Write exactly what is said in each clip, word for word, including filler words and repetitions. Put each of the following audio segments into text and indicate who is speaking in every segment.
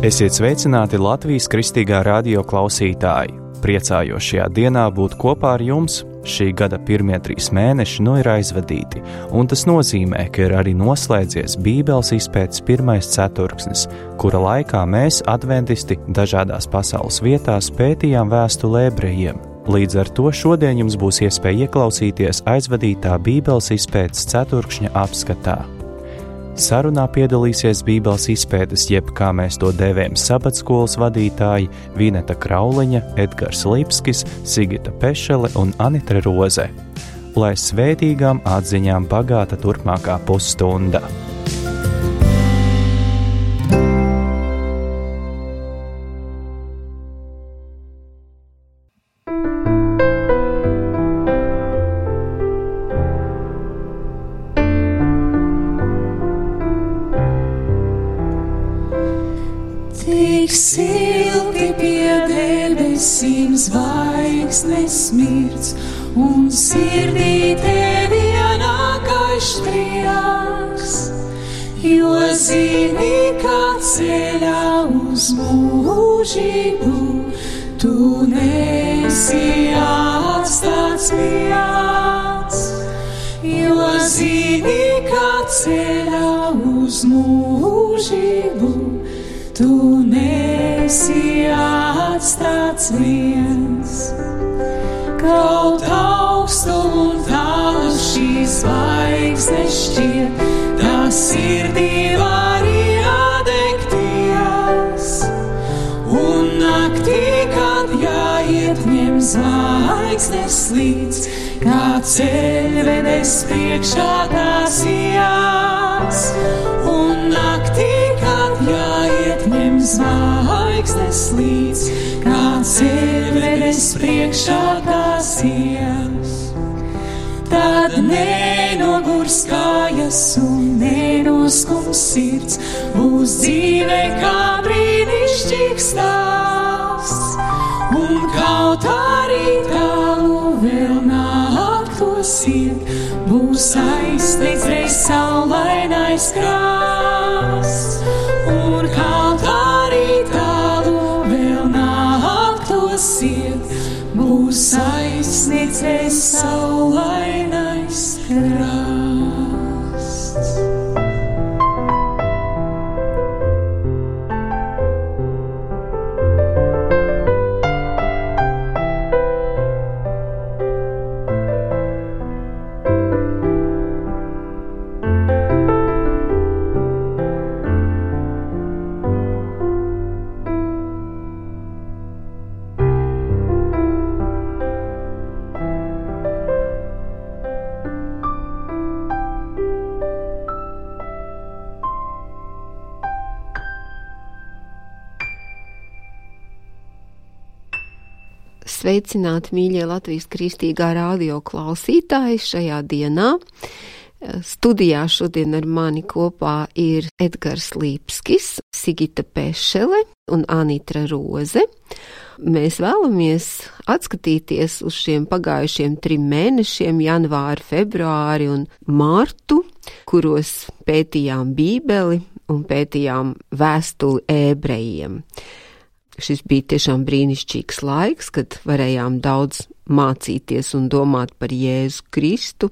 Speaker 1: Esiet sveicināti Latvijas Kristīgā radio klausītāji! Priecājos šajā dienā būt kopā ar jums. Šī gada pirmie trīs mēneši nu ir aizvadīti, un tas nozīmē, ka ir arī noslēdzies Bībeles izpētes pirmais ceturksnis, kura laikā mēs, adventisti, dažādās pasaules vietās pētījām vēstuli ebrejiem. Līdz ar to šodien jums būs iespēja ieklausīties aizvadītā Bībeles izpētes ceturkšņa apskatā. Sarunā piedalīsies Bībeles izpētes, jeb kā mēs to dēvējam, sabatskolas vadītāji Vineta Krauliņa, Edgars Lipskis, Sigita Pešele un Anitra Roze. Lai svētīgām atziņām bagāta turpmākā pusstunda.
Speaker 2: Tik silti pie debesīm zvaigznes smirds, un sirdī tevi ienākais prieks, jo zini, kā ceļā uz mūžību tu nesi atstāts viens, jo zini, kā ceļā uz mūžību tu nesi atstāts viens. Kaut augstu un tālu šīs zvaigznes šķiet, tā sirdī var iedegties. Un naktī, kad jāiet ņem zvaigznes līdz, kā ceļvedes priekšā tās ijas. Un naktī, kad jāiet ņem zvaigznes līdz, kā ceļvedes priekšā tās ijas. Tad nenogurs kājas un nenoskums sirds, būs dzīve kā brīnišķīgs stāsts. Un kaut arī tālu vēl nāktos iet, būs aizsniegts reiz saulainais krasts. Un kaut arī tālu vēl nāktos iet, būs aizsniegts reiz saulainais krasts.
Speaker 3: Sveicināti, mīļie Latvijas Kristīgā radio klausītāji šajā dienā. Studijā šodien ar mani kopā ir Edgars Lipskis, Sigita Pešele un Anitra Roze. Mēs vēlamies atskatīties uz šiem pagājušiem trim mēnešiem, janvāri, februāri un mārtu, kuros pētījām Bībeli un pētījām vēstuli ebrejiem. Šis bija tiešām brīnišķīgs laiks, kad varējām daudz mācīties un domāt par Jēzu Kristu.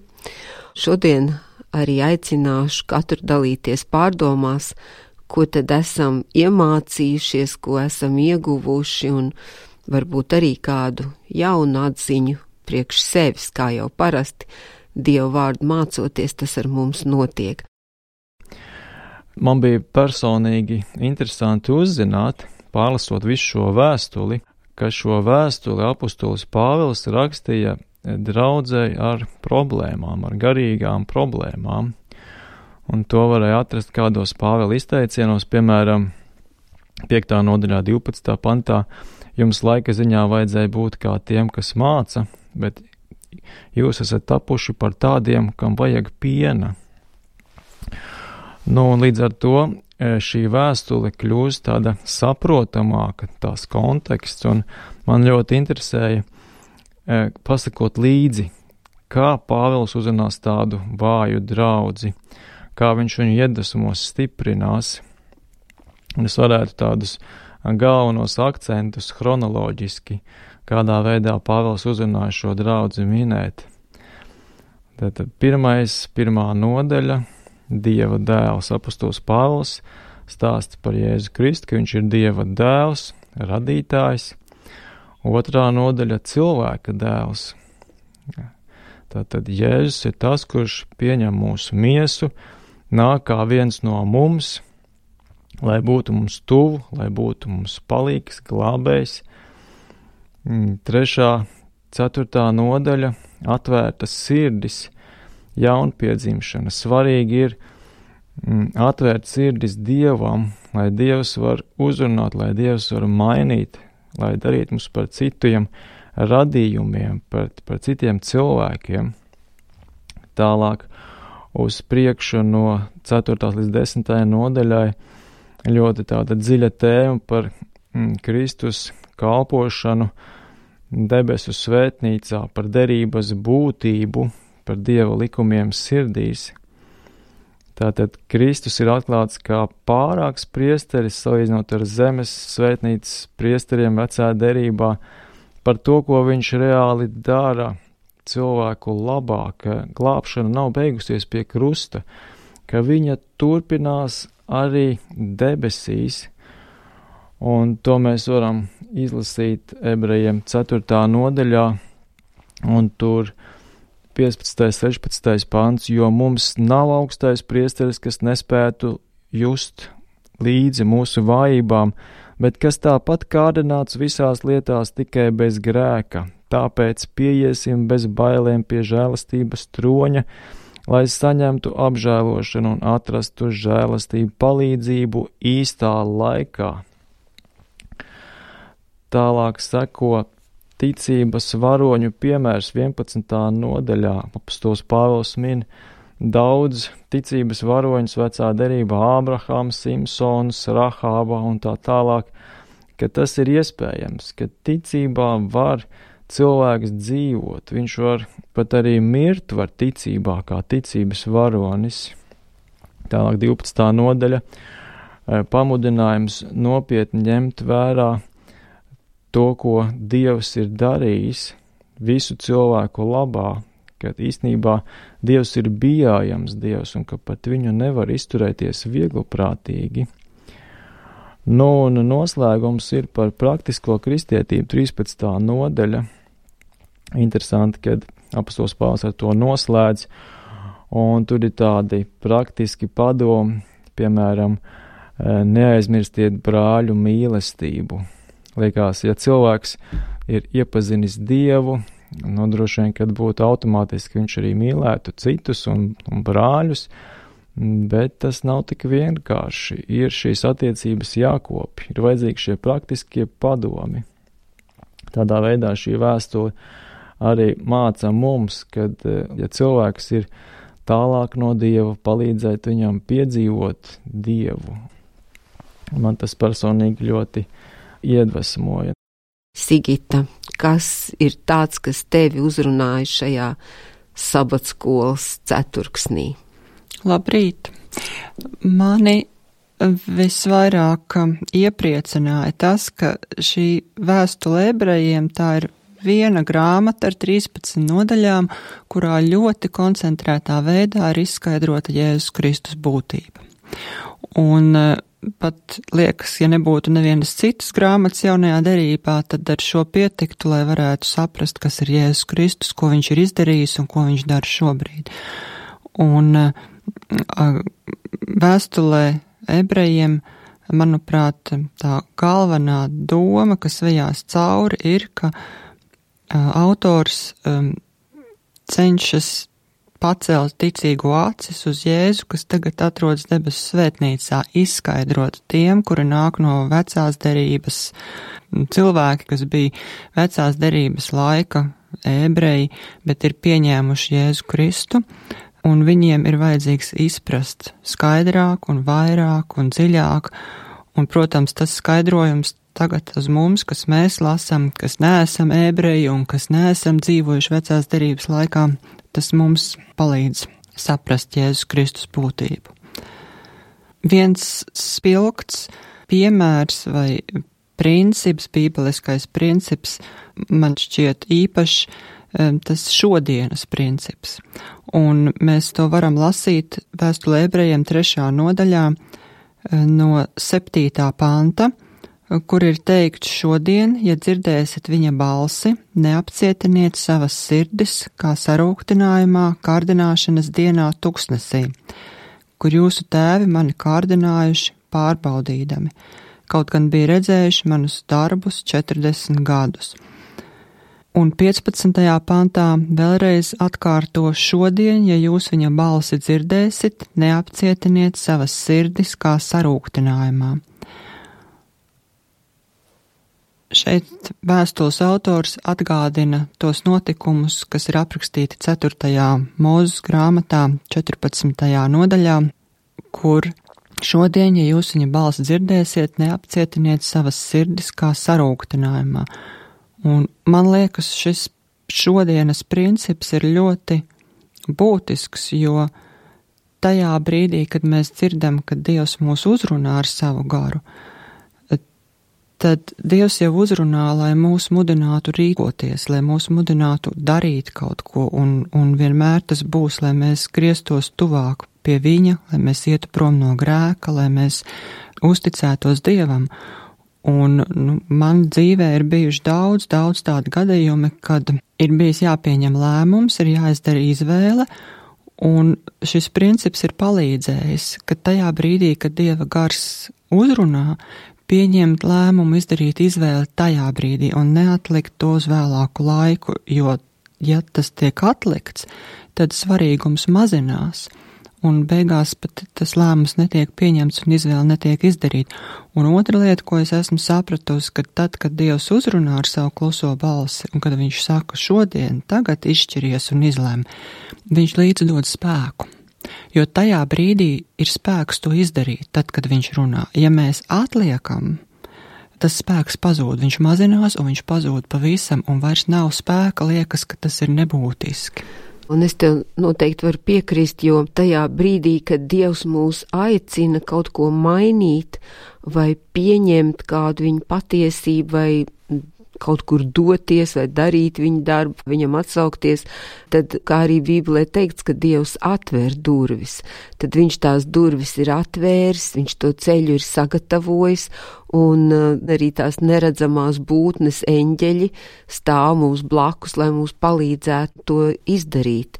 Speaker 3: Šodien arī aicināšu katru dalīties pārdomās, ko tad esam iemācījušies, ko esam ieguvuši, un varbūt arī kādu jaunu atziņu priekš sevis, kā jau parasti Dievu vārdu mācoties, tas ar mums notiek.
Speaker 4: Man bija personīgi interesanti uzzināt, pārlasot visu šo vēstuli, ka šo vēstuli apustulis Pāvils rakstīja draudzei ar problēmām, ar garīgām problēmām. Un to varēja atrast kādos Pāvila izteicienos, piemēram, piektā nodaļā divpadsmitā pantā, jums laika ziņā vajadzēja būt kā tiem, kas māca, bet jūs esat tapuši par tādiem, kam vajag piena. Nu, un līdz ar to šī vēstule kļūst tāda saprotamāka, tās konteksts, un man ļoti interesēja pasakot līdzi, kā Pāvils uzrunās tādu vāju draudzi, kā viņš viņu iedvesmos stiprinās. Un es varētu tādus galvenos akcentus chronoloģiski, kādā veidā Pāvils uzrunāja šo draudzi minēt. Tātad pirmais, pirmā nodaļa, Dieva dēls apostols Pāvils stāsta par Jēzu Kristu, ka viņš ir Dieva dēls, radītājs. Otrā nodaļa cilvēka dēls. Tātad Jēzus ir tas, kurš pieņem mūsu miesu, nāk kā viens no mums, lai būtu mums tuvu, lai būtu mums palīgs, glābējs. Trešā, ceturtā nodaļa atvērtas sirdis, jaunpiedzimšana. Svarīgi ir mm, atvērt sirdis Dievam, lai Dievs var uzrunāt, lai Dievs var mainīt, lai darīt mums par citiem radījumiem, par, par citiem cilvēkiem. Tālāk uz priekšu no ceturtās līdz desmitajai nodaļai ļoti tāda dziļa tēma par mm, Kristus kalpošanu debesu svētnīcā, par derības būtību, par Dieva likumiem sirdīs. Tātad Kristus ir atklāts kā pārāks priesteris, salīdzinot ar zemes svētnīcas priesteriem vecā derībā, par to, ko viņš reāli dara cilvēku labā, ka glābšana nav beigusies pie krusta, ka viņa turpinās arī debesīs, un to mēs varam izlasīt ebrejiem ceturtā nodaļā, un tur piecpadsmitais, sešpadsmitais pants, jo mums nav augstais priesteris, kas nespētu just līdzi mūsu vājībām, bet kas tāpat kārdināts visās lietās tikai bez grēka. Tāpēc pieiesim bez bailēm pie žēlastības troņa, lai saņemtu apžēlošanu un atrastu žēlastību palīdzību īstā laikā. Tālāk seko ticības varoņu piemērs vienpadsmitā nodaļā. Apostols Pāvils min daudz ticības varoņus vecā derībā, Ābrahams, Simsons, Rahāba un tā tālāk, ka tas ir iespējams, ka ticībā var cilvēks dzīvot, viņš var pat arī mirt var ticībā kā ticības varonis. Tālāk divpadsmitā nodaļa, pamudinājums nopietni ņemt vērā to, ko Dievs ir darījis visu cilvēku labā, ka īstenībā Dievs ir bijājams Dievs un ka pat viņu nevar izturēties viegliprātīgi. Nu, un noslēgums ir par praktisko kristietību, trīspadsmitā nodaļa. Interesanti, kad apostols Pāvils ar to noslēdz, un tur ir tādi praktiski padomi, piemēram, neaizmirstiet brāļu mīlestību. Liekas, ja cilvēks ir iepazinis Dievu, nodroši vien, kad būtu automātiski viņš arī mīlētu citus un, un brāļus, bet tas nav tik vienkārši. Ir šīs attiecības jākopj, ir vajadzīgi šie praktiskie padomi. Tādā veidā šī vēstule arī māca mums, kad, ja cilvēks ir tālāk no Dieva, palīdzēt viņam piedzīvot Dievu. Man tas personīgi ļoti iedvesmoja.
Speaker 3: Sigita, kas ir tāds, kas tevi uzrunāja šajā sabatskolas ceturksnī?
Speaker 2: Labrīt! Mani visvairāk iepriecināja tas, ka šī vēstule ebrejiem tā ir viena grāmata ar trīspadsmit nodaļām, kurā ļoti koncentrētā veidā ir izskaidrota Jēzus Kristus būtība. Un pat liekas, ja nebūtu nevienas citas grāmatas jaunajā derībā, tad ar šo pietiktu, lai varētu saprast, kas ir Jēzus Kristus, ko viņš ir izdarījis un ko viņš dara šobrīd. Un vēstulē ebrejiem, manuprāt, tā galvenā doma, kas vejās cauri, ir, ka autors um, cenšas pacelt ticīgo acis uz Jēzu, kas tagad atrodas debesu svētnīcā, izskaidrot tiem, kuri nāk no vecās derības, cilvēki, kas bija vecās derības laika ebreji, bet ir pieņēmuši Jēzu Kristu, un viņiem ir vajadzīgs izprast skaidrāk un vairāk un dziļāk, un, protams, tas skaidrojums tagad uz mums, kas mēs lasam, kas neesam ebreji un kas neesam dzīvojuši vecās derības laikā, tas mums palīdz saprast Jēzus Kristus būtību. Viens spilgts piemērs vai princips, bībeliskais princips, man šķiet īpašs, tas šodienas princips. Un mēs to varam lasīt vēstulē ebrejiem trešā nodaļā no septītā panta, kur ir teikts šodien, ja dzirdēsiet viņa balsi, neapcietiniet savas sirdis, kā sarūktinājumā kārdināšanas dienā tuksnesī, kur jūsu tēvi mani kārdinājuši pārbaudīdami, kaut gan bija redzējuši manus darbus četrdesmit gadus. Un piecpadsmitajā pantā vēlreiz atkārto šodien, ja jūs viņa balsi dzirdēsit, neapcietiniet savas sirdis kā sarūktinājumā. Šeit vēstules autors atgādina tos notikumus, kas ir aprakstīti ceturtajā Mūzes grāmatā, četrpadsmitajā nodaļā, kur šodien, ja jūs viņa balsi dzirdēsiet, neapcietiniet savas sirdis kā sarūktinājumā. Un man liekas, šis šodienas princips ir ļoti būtisks, jo tajā brīdī, kad mēs dzirdam, ka Dievs mūs uzrunā ar savu garu, tad Dievs jau uzrunā, lai mūs mudinātu rīkoties, lai mūs mudinātu darīt kaut ko, un, un vienmēr tas būs, lai mēs grieztos tuvāk pie viņa, lai mēs ietu prom no grēka, lai mēs uzticētos Dievam. Un nu, man dzīvē ir bijuši daudz, daudz tādu gadījumi, kad ir bijis jāpieņem lēmums, ir jāizdara izvēle, un šis princips ir palīdzējis, ka tajā brīdī, kad Dieva gars uzrunā, pieņemt lēmumu, izdarīt izvēli tajā brīdī un neatlikt to uz vēlāku laiku, jo, ja tas tiek atlikts, tad svarīgums mazinās. Un beigās pat tas lēmums netiek pieņemts un izvēle netiek izdarīta. Un otra lieta, ko es esmu sapratusi, ka tad, kad Dievs uzrunā ar savu kluso balsi, un kad viņš saka šodien, tagad izšķiries un izlem, viņš līdz dod spēku. Jo tajā brīdī ir spēks to izdarīt, tad, kad viņš runā. Ja mēs atliekam, tas spēks pazūd, viņš mazinās un viņš pazūd pavisam, un vairs nav spēka, liekas, ka tas ir nebūtiski.
Speaker 3: Un es tev noteikti varu piekrist, jo tajā brīdī, kad Dievs mūs aicina kaut ko mainīt vai pieņemt kādu viņa patiesību vai kaut kur doties vai darīt viņa darbu, viņam atsaukties, tad, kā arī Bībelē teikts, ka Dievs atvēr durvis, tad viņš tās durvis ir atvērs, viņš to ceļu ir sagatavojis, un arī tās neredzamās būtnes eņģeļi stāv mums blakus, lai mums palīdzētu to izdarīt.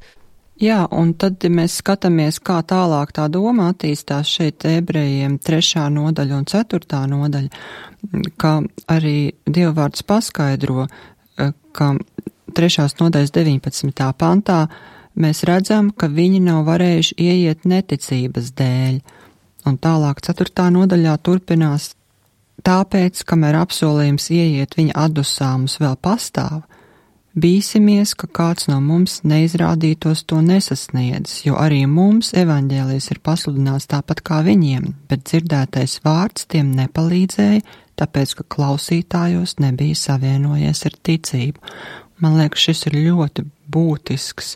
Speaker 2: Jā, un tad, ja mēs skatāmies, kā tālāk tā doma attīstās šeit ebrejiem trešā nodaļa un ceturtā nodaļa, ka arī Dievvvārds paskaidro, ka trešās nodaļas deviņpadsmitajā pantā mēs redzam, ka viņi nav varējuši ieiet neticības dēļ. Un tālāk ceturtā nodaļā turpinās, tāpēc, kamēr apsolījums ieiet viņa atdusā mums vēl pastāv, bīsimies, ka kāds no mums neizrādītos to nesasniedzis, jo arī mums evaņģēlijs ir pasludināts tāpat kā viņiem, bet dzirdētais vārds tiem nepalīdzēja, tāpēc, ka klausītājos nebija savienojies ar ticību. Man liekas, šis ir ļoti būtisks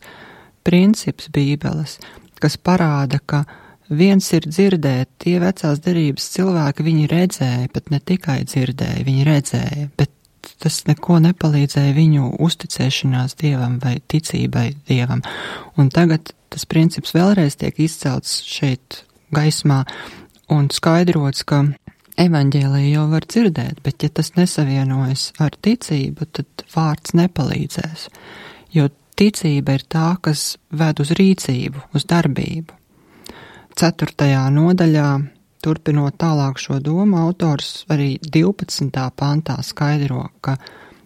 Speaker 2: princips Bībeles, kas parāda, ka viens ir dzirdēt, tie vecās derības cilvēki, viņi redzēja, bet ne tikai dzirdēja, viņi redzēja, bet tas neko nepalīdzēja viņu uzticēšanās Dievam vai ticībai Dievam. Un tagad tas princips vēlreiz tiek izcelts šeit gaismā un skaidrots, ka evaņģēliju jau var dzirdēt, bet ja tas nesavienojas ar ticību, tad vārds nepalīdzēs. Jo ticība ir tā, kas ved uz rīcību, uz darbību. Ceturtajā nodaļā, turpinot tālāk šo domu, autors arī divpadsmitā pantā skaidro, ka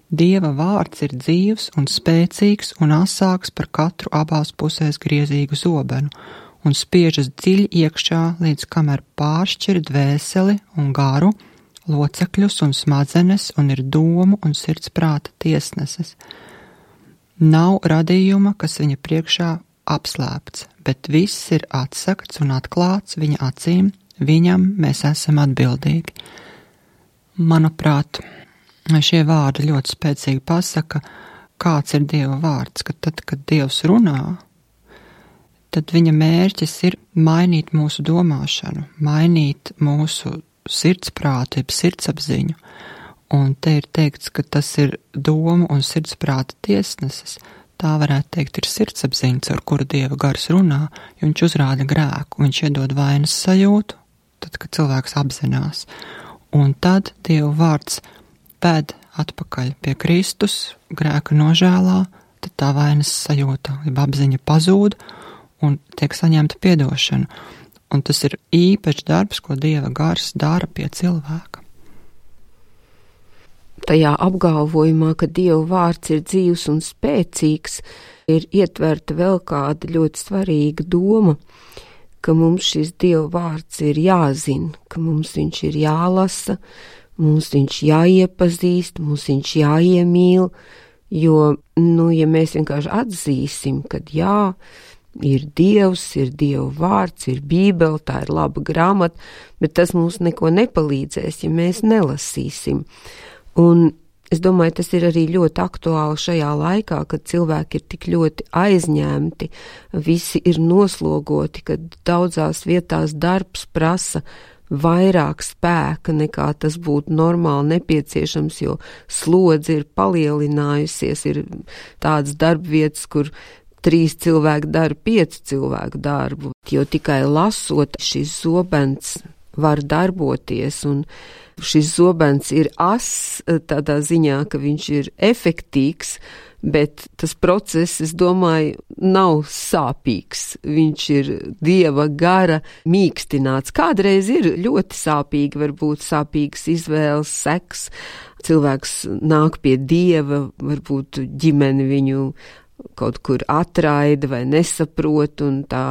Speaker 2: Dieva vārds ir dzīvs un spēcīgs un asāks par katru abās pusēs griezīgu zobenu un spiežas dziļi iekšā, līdz kamēr pāršķir dvēseli un garu, locekļus un smadzenes un ir domu un sirds prāta tiesneses. Nav radījuma, kas viņa priekšā apslēpts, bet viss ir atsakts un atklāts viņa acīm, viņam mēs esam atbildīgi. Manuprāt, šie vārdi ļoti spēcīgi pasaka, kāds ir Dieva vārds, ka tad, kad Dievs runā, tad viņa mērķis ir mainīt mūsu domāšanu, mainīt mūsu sirdsprātu, jeb sirdsapziņu. Un te ir teikts, ka tas ir domu un sirdsprāta tiesnesis. Tā varētu teikt ir sirdsapziņa, ar kuru Dieva gars runā, jo viņš uzrāda grēku, viņš iedod vainas sajūtu, tad, kad cilvēks apzinās. Un tad Dieva vārds ved atpakaļ pie Kristus, grēka nožēlā, tad tā vainas sajūta, jeb apziņa pazūd un tiek saņemta piedošana. Un tas ir īpašs darbs, ko Dieva gars dara pie cilvēka.
Speaker 3: Tajā apgalvojumā, ka Dieva vārds ir dzīvs un spēcīgs, ir ietverta vēl kāda ļoti svarīga doma, ka mums šis Dieva vārds ir jāzina, ka mums viņš ir jālasa, mums viņš jāiepazīst, mums viņš jāiemīl, jo, nu, ja mēs vienkārši atzīsim, kad jā, ir Dievs, ir Dieva vārds, ir Bībele, tā ir laba grāmata, bet tas mums neko nepalīdzēs, ja mēs nelasīsim. Un es domāju, tas ir arī ļoti aktuāli šajā laikā, kad cilvēki ir tik ļoti aizņemti, visi ir noslogoti, kad daudzās vietās darbs prasa vairāk spēka nekā tas būtu normāli nepieciešams, jo slodze ir palielinājusies, ir tādas darbvietas, kur trīs cilvēki dara piecu cilvēku darbu, jo tikai lasot šis zobens var darboties, un šis zobens ir ass tādā ziņā, ka viņš ir efektīgs, bet tas process, es domāju, nav sāpīgs. Viņš ir Dieva gara mīkstināts. Kādreiz ir ļoti sāpīgi, varbūt sāpīgas izvēles, seks. Cilvēks nāk pie Dieva, varbūt ģimene viņu kaut kur atraida vai nesaprot, un tā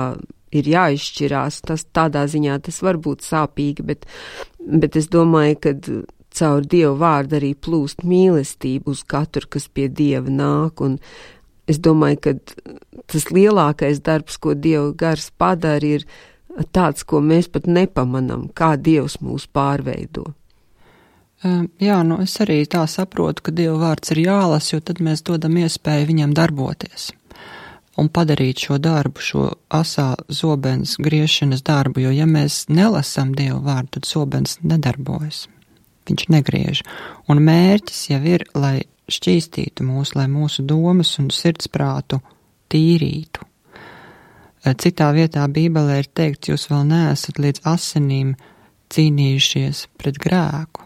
Speaker 3: ir jāizšķirās. Tas tādā ziņā tas var būt sāpīgi, bet, bet es domāju, ka caur Dieva vārdu arī plūst mīlestība uz katru, kas pie Dieva nāk, un es domāju, ka tas lielākais darbs, ko Dieva gars padara, ir tāds, ko mēs pat nepamanam, kā Dievs mūs pārveido.
Speaker 2: Jā, nu es arī tā saprotu, ka Dieva vārds ir jālas, jo tad mēs dodam iespēju viņam darboties un padarīt šo darbu, šo asā zobens griešanas darbu, jo ja mēs nelasam Dieva vārdu, tad zobens nedarbojas. Viņš negriež. Un mērķis jau ir, lai šķīstītu mūs, lai mūsu domas un sirdsprātu tīrītu. Citā vietā Bībelē ir teikts, jūs vēl neesat līdz asinīm cīnījušies pret grēku.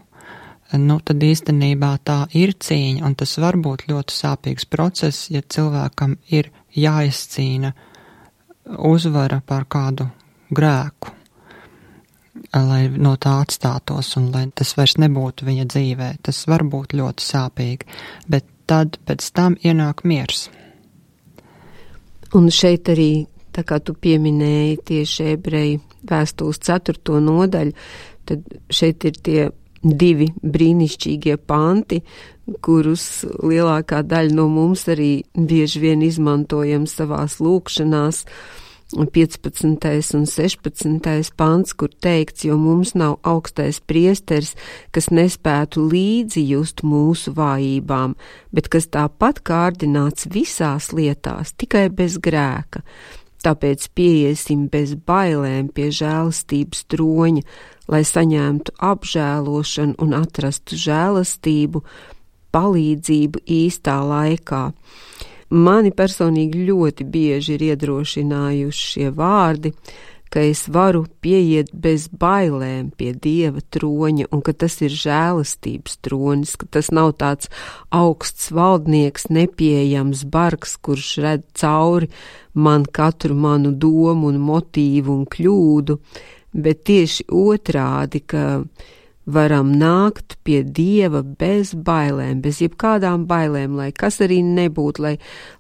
Speaker 2: Nu, tad īstenībā tā ir cīņa, un tas var būt ļoti sāpīgs process, ja cilvēkam ir jāizcīna uzvara pār kādu grēku, lai no tā atstātos un lai tas vairs nebūtu viņa dzīvē. Tas var būt ļoti sāpīgi, bet tad pēc tam ienāk miers.
Speaker 3: Un šeit arī, tā kā tu pieminēji tieši Ebreju vēstules ceturto nodaļu, tad šeit ir tie divi brīnišķīgie panti, kurus lielākā daļa no mums arī bieži vien izmantojam savās lūkšanās, piecpadsmitais un sešpadsmitais pants, kur teikts, jo mums nav augstais priesteris, kas nespētu līdzi just mūsu vājībām, bet kas tāpat kārdināts visās lietās, tikai bez grēka. Tāpēc pieiesim bez bailēm pie žēlastības troņa, lai saņemtu apžēlošanu un atrastu žēlastību, palīdzību īstā laikā. Mani personīgi ļoti bieži ir iedrošinājuši šie vārdi, ka es varu pieiet bez bailēm pie Dieva troņa un ka tas ir žēlastības tronis, ka tas nav tāds augsts valdnieks, nepieejams bargs, kurš redz cauri man katru manu domu un motīvu un kļūdu, bet tieši otrādi, ka varam nākt pie Dieva bez bailēm, bez jebkādām bailēm, lai kas arī nebūtu, lai,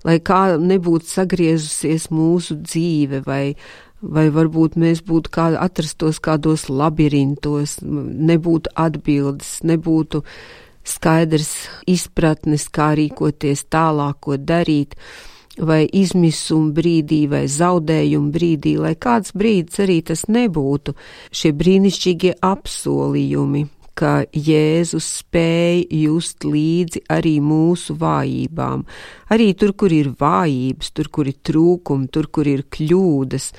Speaker 3: lai kā nebūtu sagriezusies mūsu dzīve, vai, vai varbūt mēs būtu kā atrastos kādos labirintos, nebūtu atbildes, nebūtu skaidrs izpratnes, kā rīkoties tālāk, ko darīt, vai izmisuma brīdī, vai zaudējuma brīdī, lai kāds brīdis arī tas nebūtu. Šie brīnišķīgie apsolījumi, ka Jēzus spēj just līdzi arī mūsu vājībām. Arī tur, kur ir vājības, tur, kur ir trūkumi, tur, kur ir kļūdas,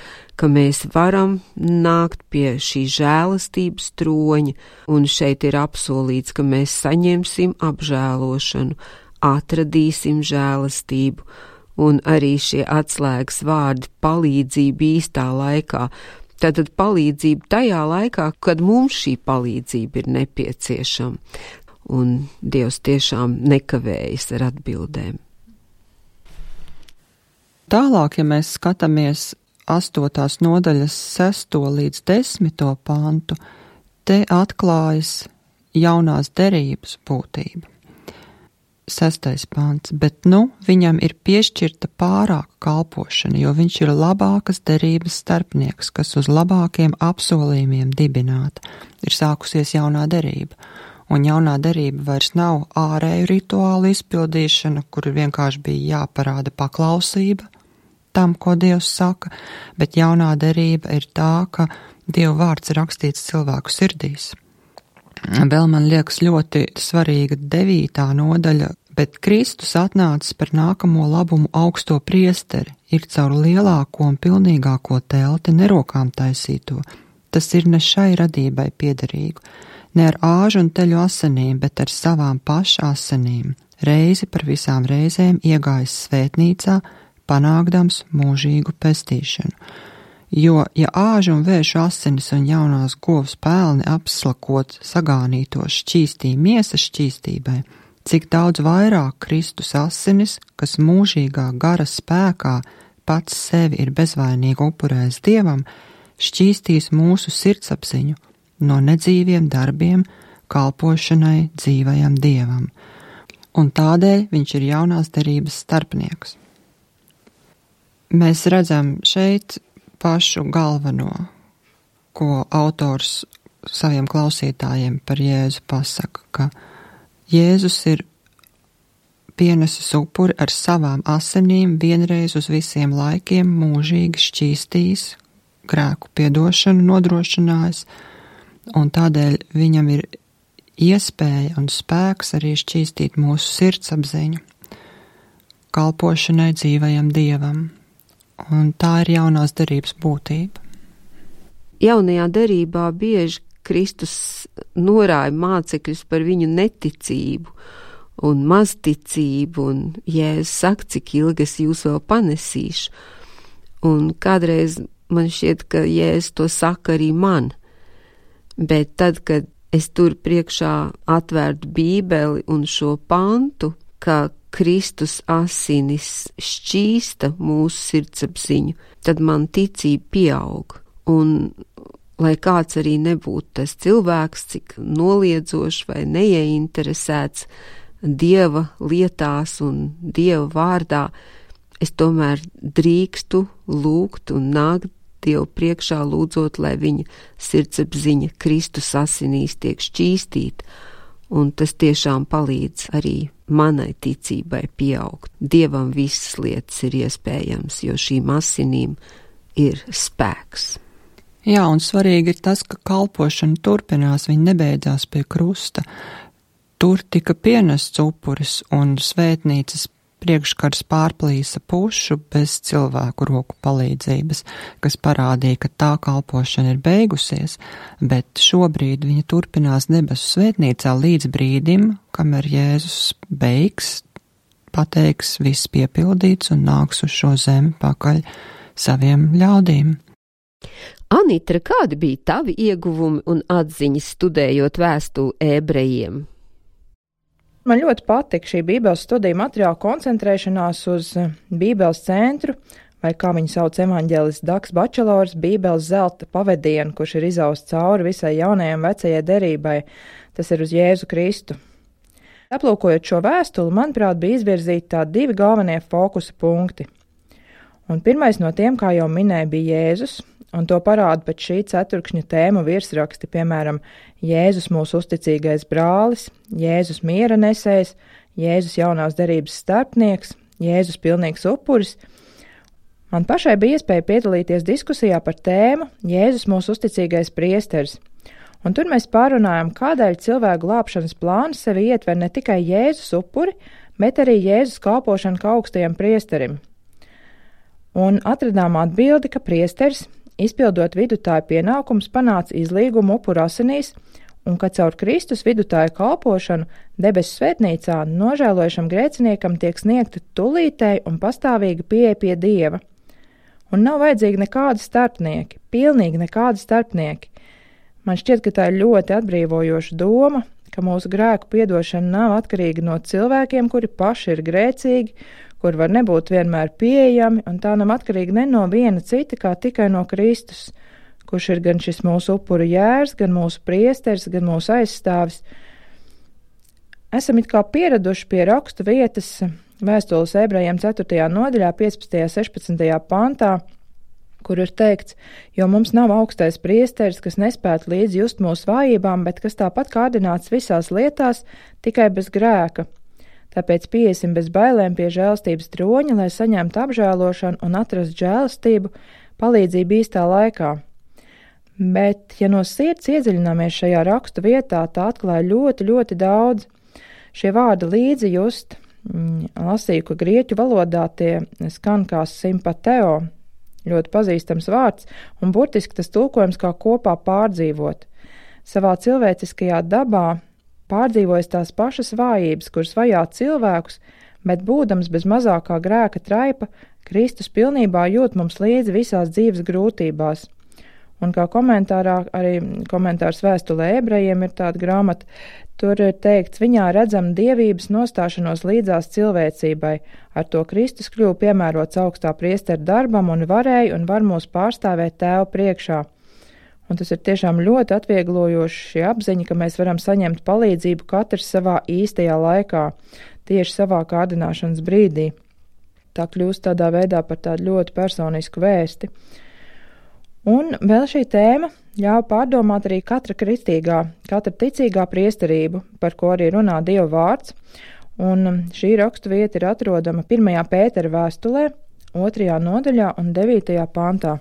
Speaker 3: ka mēs varam nākt pie šī žēlastības troņa, un šeit ir apsolīts, ka mēs saņemsim apžēlošanu, atradīsim žēlastību, un arī šie atslēgas vārdi palīdzība īstā laikā. Tātad palīdzība tajā laikā, kad mums šī palīdzība ir nepieciešama, un Dievs tiešām nekavējas ar atbildēm.
Speaker 2: Tālāk, ja mēs skatāmies astotās nodaļas sesto līdz desmito pantu, te atklājas jaunās derības būtība. Sestais pants, bet nu viņam ir piešķirta pārāka kalpošana, jo viņš ir labākas derības starpnieks, kas uz labākiem apsolījumiem dibināta. Ir sākusies jaunā derība, un jaunā derība vairs nav ārēju rituālu izpildīšana, kur vienkārši bija jāparāda paklausība tam, ko Dievs saka, bet jaunā derība ir tā, ka Dieva vārds ir rakstīts cilvēku sirdīs. Vēl man liekas ļoti svarīga devītā nodaļa, bet Kristus atnācis par nākamo labumu augsto priesteri, ir caur lielāko un pilnīgāko telti nerokām taisīto. Tas ir ne šai radībai piederīgu, ne ar āžu un teļu asinīm, bet ar savām paša asinīm, reizi par visām reizēm iegājis svētnīcā, panākdams mūžīgu pestīšanu. Jo, ja āžu un vēžu asinis un jaunās govs pelni apslakot sagānītos šķīstī miesas šķīstībai, cik daudz vairāk Kristus asinis, kas mūžīgā gara spēkā pats sevi ir bezvainīgi upurējis Dievam, šķīstīs mūsu sirdsapziņu no nedzīviem darbiem kalpošanai dzīvajam Dievam. Un tādēļ viņš ir jaunās derības starpnieks. Mēs redzam šeit pašu galveno, ko autors saviem klausītājiem par Jēzu pasaka, ka Jēzus ir pienesis upuri ar savām asinīm vienreiz uz visiem laikiem mūžīgi šķīstījis, grēku piedošanu nodrošinājis, un tādēļ viņam ir iespēja un spēks arī šķīstīt mūsu sirdsapziņu kalpošanai dzīvajam Dievam. Un tā ir jaunās derības būtība.
Speaker 3: Jaunajā derībā bieži Kristus norāja mācekļus par viņu neticību un mazticību, un Jēzus saka, cik ilgi es jūs vēl panesīšu. Un kādreiz man šķiet, ka Jēzus to saka arī man, bet tad, kad es tur priekšā atvērtu Bībeli un šo pantu, ka Kristus asinis šķīsta mūsu sirdsapziņu, tad man ticība pieaug. Un, lai kāds arī nebūtu tas cilvēks, cik noliedzošs vai neieinteresēts Dieva lietās un Dieva vārdā, es tomēr drīkstu lūgt un nākt Dievu priekšā lūdzot, lai viņa sirdsapziņa Kristus asinīs tiek šķīstīta. Un tas tiešām palīdz arī manai ticībai pieaugt. Dievam visas lietas ir iespējams, jo šīm asinīm ir spēks.
Speaker 2: Jā, un svarīgi ir tas, ka kalpošana turpinās, viņa nebeidzās pie krusta. Tur tika pienests upuris un svētnīcas priekškars pārplīsa pušu bez cilvēku roku palīdzības, kas parādīja, ka tā kalpošana ir beigusies, bet šobrīd viņa turpinās debesu svētnīcā līdz brīdim, kamēr Jēzus beigs, pateiks, viss piepildīts un nāks uz šo zemi pakaļ saviem ļaudīm.
Speaker 3: Anitra, kādi bija tavi ieguvumi un atziņas studējot vēstuli ebrejiem?
Speaker 5: Man ļoti patika šī Bībeles studiju materiāla koncentrēšanās uz Bībeles centru, vai kā viņu sauc evaņģēlists Daks Bačelors, Bībeles zelta pavedienu, kurš ir izausts cauri visai jaunajai un vecajai derībai, tas ir uz Jēzu Kristu. Aplūkojot šo vēstuli, manuprāt, bija izvirzīti tādi divi galvenie fokusa punkti. Un pirmais no tiem, kā jau minēja, bija Jēzus, un to parāda pēc šī ceturkšņa tēmu virsraksti, piemēram, Jēzus mūsu uzticīgais brālis, Jēzus miera nesējs, Jēzus jaunās derības starpnieks, Jēzus pilnīgs upuris. Man pašai bija iespēja piedalīties diskusijā par tēmu Jēzus mūsu uzticīgais priesteris, Un tur mēs pārunājam, kādēļ cilvēku glābšanas plāns sevi ietver ne tikai Jēzus upuri, bet arī Jēzus kalpošanu kā augstajam priesterim. Un atradām atbildi, ka priesteris, izpildot vidutāju pienākumus, panāca izlīgumu upuru asinīs, un ka caur Kristus vidutāju kalpošanu debesu svētnīcā nožēlojušam grēciniekam tiek sniegta tulītēji un pastāvīga pieeja pie Dieva. Un nav vajadzīgi nekādi starpnieki, pilnīgi nekādi starpnieki. Man šķiet, ka tā ir ļoti atbrīvojoša doma, ka mūsu grēku piedošana nav atkarīga no cilvēkiem, kuri paši ir grēcīgi, kur var nebūt vienmēr pieejami, un tā nav atkarīga ne no viena cita, kā tikai no Kristus, kurš ir gan šis mūsu upuru jērs, gan mūsu priesteris, gan mūsu aizstāvis. Esam it kā pieraduši pie rakstu vietas vēstules ebrejiem ceturtajā nodaļā, piecpadsmitajā sešpadsmitajā pantā, kur ir teikts, jo mums nav augstais priesteris, kas nespētu līdz just mūsu vājībām, bet kas tāpat kārdināts visās lietās, tikai bez grēka. Tāpēc pieiesim bez bailēm pie žēlstības troņa, lai saņemtu apžēlošanu un atrastu žēlstību, palīdzību īstā laikā. Bet, ja no sirds iedziļināmies šajā rakstu vietā, tā atklāja ļoti, ļoti daudz. Šie vārdi līdzi just, lasīju, ka grieķu valodā tie skan kā simpateo, ļoti pazīstams vārds, un burtiski tas tulkojums kā kopā pārdzīvot. Savā cilvēciskajā dabā pārdzīvojas tās pašas vājības, kuras vajā cilvēkus, bet būdams bez mazākā grēka traipa, Kristus pilnībā jūt mums līdzi visās dzīves grūtībās. Un kā komentārā, arī komentārs vēstulē ebrejiem ir tāda grāmata, tur ir teikts, viņā redzam dievības nostāšanos līdzās cilvēcībai, ar to Kristus kļuva piemērots augstā priestera darbam un varēja un var mūs pārstāvēt Tēva priekšā. Un tas ir tiešām ļoti atvieglojoši šī apziņa, ka mēs varam saņemt palīdzību katrs savā īstajā laikā, tieši savā kārdināšanas brīdī. Tā kļūst tādā veidā par tādu ļoti personisku vēsti. Un vēl šī tēma ļauj pārdomāt arī katra kristīgā, katra ticīgā priesterību, par ko arī runā Dieva vārds, un šī rakstu vieta ir atrodama pirmajā Pētera vēstulē, otrajā nodaļā un devītajā pantā.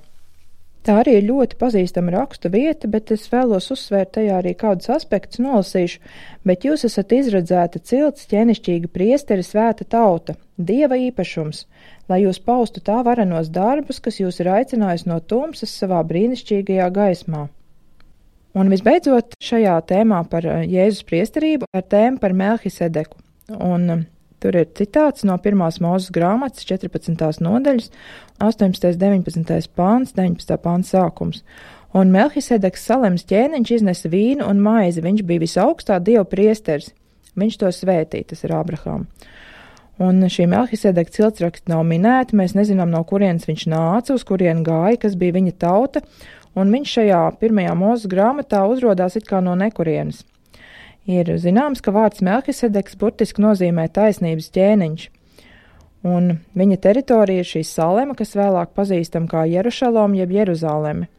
Speaker 5: Tā arī ir ļoti pazīstama rakstu vieta, bet es vēlos uzsvērt tajā arī kādus aspektus nolasīšu, bet jūs esat izredzēta cilts, ķenišķīga priesteri, svēta tauta, Dieva īpašums, lai jūs paustu tā varenos darbus, kas jūs ir aicinājusi no tumsas savā brīnišķīgajā gaismā. Un visbeidzot, šajā tēmā par Jēzus priesterību ir tēma par Melhisedeku. Un tur ir citāts no pirmās Mūzes grāmatas četrpadsmitās nodaļas, astoņpadsmitais deviņpadsmitais pāns, deviņpadsmitā pāns sākums. Un Melhisedeks Salems ķēniņš iznesa vīnu un maizi, viņš bija visaugstā Dieva priesteris. Viņš to svētīja, tas ir Ābrahām. Un šī Melhisedeka ciltsraksti nav minēti, mēs nezinām, no kurienes viņš nāca, uz kurien gāja, kas bija viņa tauta, un viņš šajā pirmajā Mūzes grāmatā uzrodās it kā no nekurienes. Ir zināms, ka vārds Melhisedeks burtiski nozīmē taisnības ķēniņš, un viņa teritorija ir šī Salema, kas vēlāk pazīstam kā Jerušalom jeb Jeruzāleme.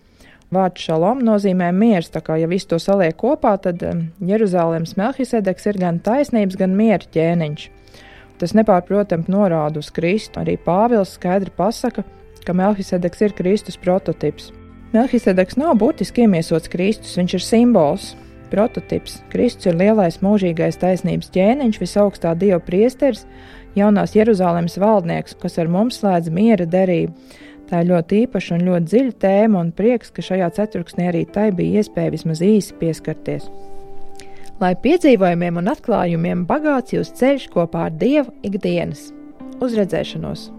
Speaker 5: Vārds šalom nozīmē miers, tā kā ja visu to saliek kopā, tad Jeruzālemes Melhisedeks ir gan taisnības, gan miera ķēniņš. Tas nepārprotami norāda uz Kristu. Arī Pāvils skaidri pasaka, ka Melhisedeks ir Kristus prototips. Melhisedeks nav burtiski iemiesots Kristus, viņš ir simbols, prototips. Kristus ir lielais mūžīgais taisnības ķēniņš, visaugstā Dieva priesteris, jaunās Jeruzālemes valdnieks, kas ar mums slēdz miera derību. Tā ir ļoti īpaša un ļoti dziļa tēma, un prieks, ka šajā ceturksnī arī tai bija iespēja vismaz īsi pieskarties. Lai piedzīvojumiem un atklājumiem bagāts jūs ceļš kopā ar Dievu ikdienas. Uz redzēšanos!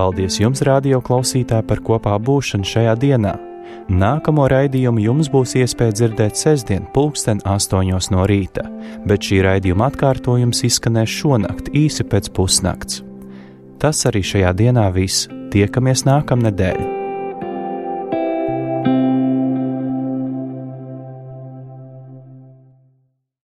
Speaker 1: Paldies jums, radio klausītāji, par kopā būšanu šajā dienā. Nākamo raidījumu jums būs iespēja dzirdēt sestdien pulksten astoņos no rīta, bet šī raidījuma atkārtojums izskanēs šonakt īsi pēc pusnakts. Tas arī šajā dienā viss. Tiekamies nākamnedēļ.